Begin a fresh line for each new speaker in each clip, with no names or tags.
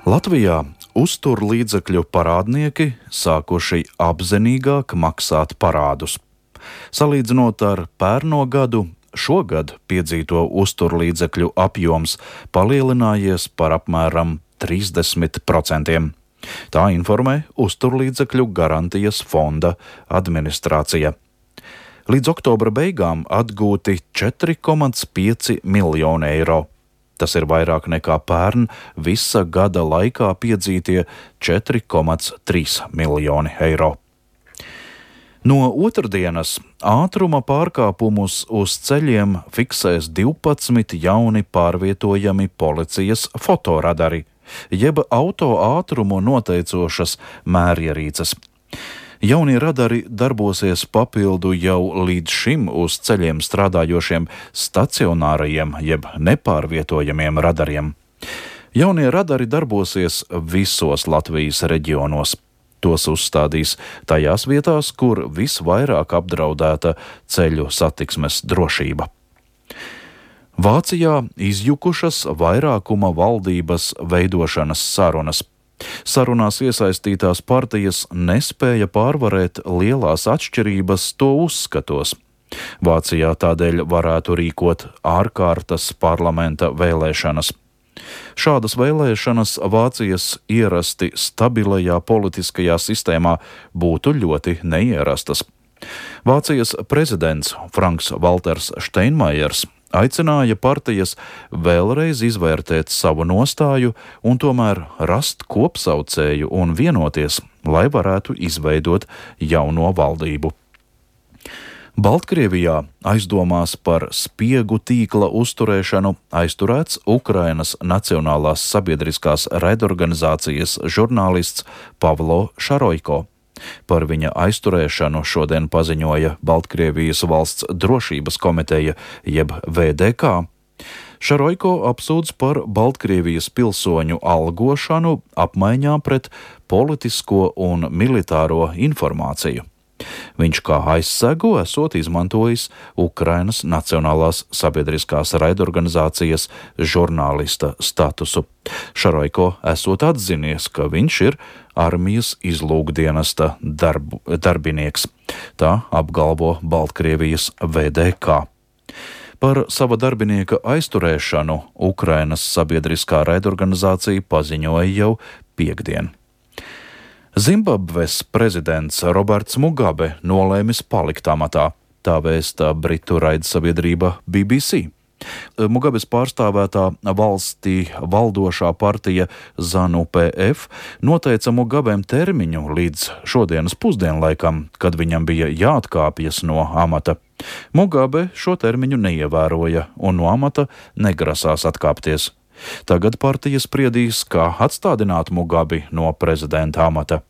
Latvijā uzturlīdzekļu parādnieki sākuši apzinīgāk maksāt parādus. Salīdzinot ar pērno gadu, šogad piedzīto uzturlīdzekļu apjoms palielinājies par apmēram 30%. Tā informē Uzturlīdzekļu garantijas fonda administrācija. Līdz oktobra beigām atgūti 4,5 miljoni eiro. Tas ir vairāk nekā pērn visa gada laikā piedzītie 4,3 miljoni eiro. No otrdienas ātruma pārkāpumus uz ceļiem fiksēs 12 jauni pārvietojami policijas fotoradari, jeb auto ātrumu noteicošas mērierīces. Jaunie radari darbosies papildu jau līdz šim uz ceļiem strādājošiem stacionārajiem jeb nepārvietojamiem radariem. Jaunie radari darbosies visos Latvijas reģionos. Tos uzstādīs tajās vietās, kur visvairāk apdraudēta ceļu satiksmes drošība. Vācijā izjukušas vairākuma valdības veidošanas sarunas. Sarunās iesaistītās partijas nespēja pārvarēt lielās atšķirības to uzskatos. Vācijā tādēļ varētu rīkot ārkārtas parlamenta vēlēšanas. Šādas vēlēšanas Vācijas ierasti stabilajā politiskajā sistēmā būtu ļoti neierastas. Vācijas prezidents Franks-Valters Steinmeiers aicināja partijas vēlreiz izvērtēt savu nostāju un tomēr rast kopsaucēju un vienoties, lai varētu izveidot jauno valdību. Baltkrievijā aizdomās par spiegu tīkla uzturēšanu aizturēts Ukrainas Nacionālās sabiedriskās raidorganizācijas žurnālists Pavlo Šaroiko. Par viņa aizturēšanu šodien paziņoja Baltkrievijas valsts drošības komiteja jeb VDK. Šaroiko apsūdz par Baltkrievijas pilsoņu algošanu apmaiņā pret politisko un militāro informāciju. Viņš kā aizsegu esot izmantojis Ukrainas Nacionālās sabiedriskās raidorganizācijas žurnālista statusu. Šaroiko esot atzinies, ka viņš ir armijas izlūkdienesta darbinieks. Tā apgalvo Baltkrievijas VDK. Par sava darbinieka aizturēšanu Ukrainas sabiedriskā raidorganizācija paziņoja jau piektdien. Zimbabves prezidents Roberts Mugabe nolēmis palikt amatā, tā vēsta britu raidsabiedrība BBC. Mugabes pārstāvētā valstī valdošā partija ZANU-PF noteica Mugabem termiņu līdz šodienas pusdienlaikam, kad viņam bija jāatkāpjas no amata. Mugabe šo termiņu neievēroja un no amata negrasās atkāpties. Tagad partija spriedīs, kā atstādināt Mugabi no prezidenta amata.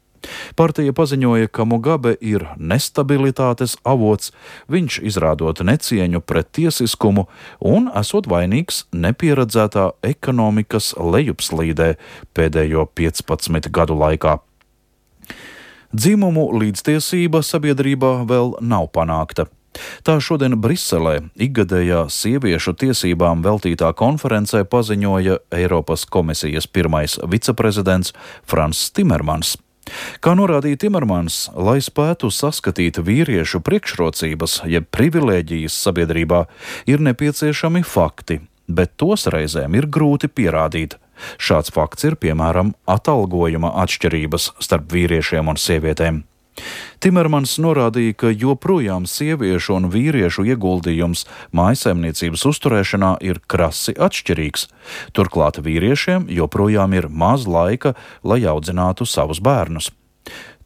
Partija paziņoja, ka Mugabe ir nestabilitātes avots, viņš izrādot necieņu pret tiesiskumu un esot vainīgs nepieredzētā ekonomikas lejupslīdē pēdējo 15 gadu laikā. Dzimumu līdztiesība sabiedrībā vēl nav panākta. Tā šodien Briselē ikgadējā sieviešu tiesībām veltītā konferencē paziņoja Eiropas komisijas pirmais viceprezidents Frans Timermans. Kā norādīja Timermans, lai spētu saskatīt vīriešu priekšrocības jeb privilēģijas sabiedrībā, ir nepieciešami fakti, bet tos reizēm ir grūti pierādīt. Šāds fakts ir piemēram atalgojuma atšķirības starp vīriešiem un sievietēm. Timermans norādīja, ka joprojām sieviešu un vīriešu ieguldījums mājsaimniecības uzturēšanā ir krasi atšķirīgs. Turklāt vīriešiem joprojām ir maz laika, lai audzinātu savus bērnus.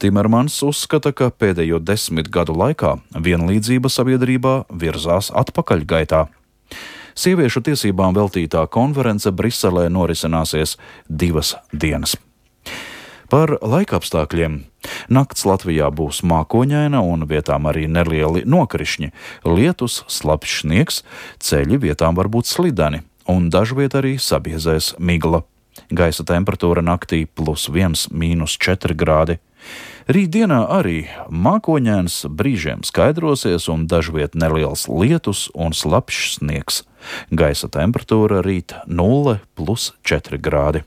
Timermans uzskata, ka pēdējo 10 gadu laikā vienlīdzība sabiedrībā virzās atpakaļgaitā. Sieviešu tiesībām veltītā konference Briselē norisināsies 2 dienas. Par laikapstākļiem. Nakts Latvijā būs mākoņaina un vietām arī nelieli nokrišņi, lietus, slapjš sniegs, ceļi vietām var būt slideni un dažviet arī sabiezēs migla. Gaisa temperatūra naktī +1, -4 grādi. Rītdienā arī mākoņains, brīžiem skaidrosies un dažviet neliels lietus un slapjš sniegs. Gaisa temperatūra rīt 0 + 4 grādi.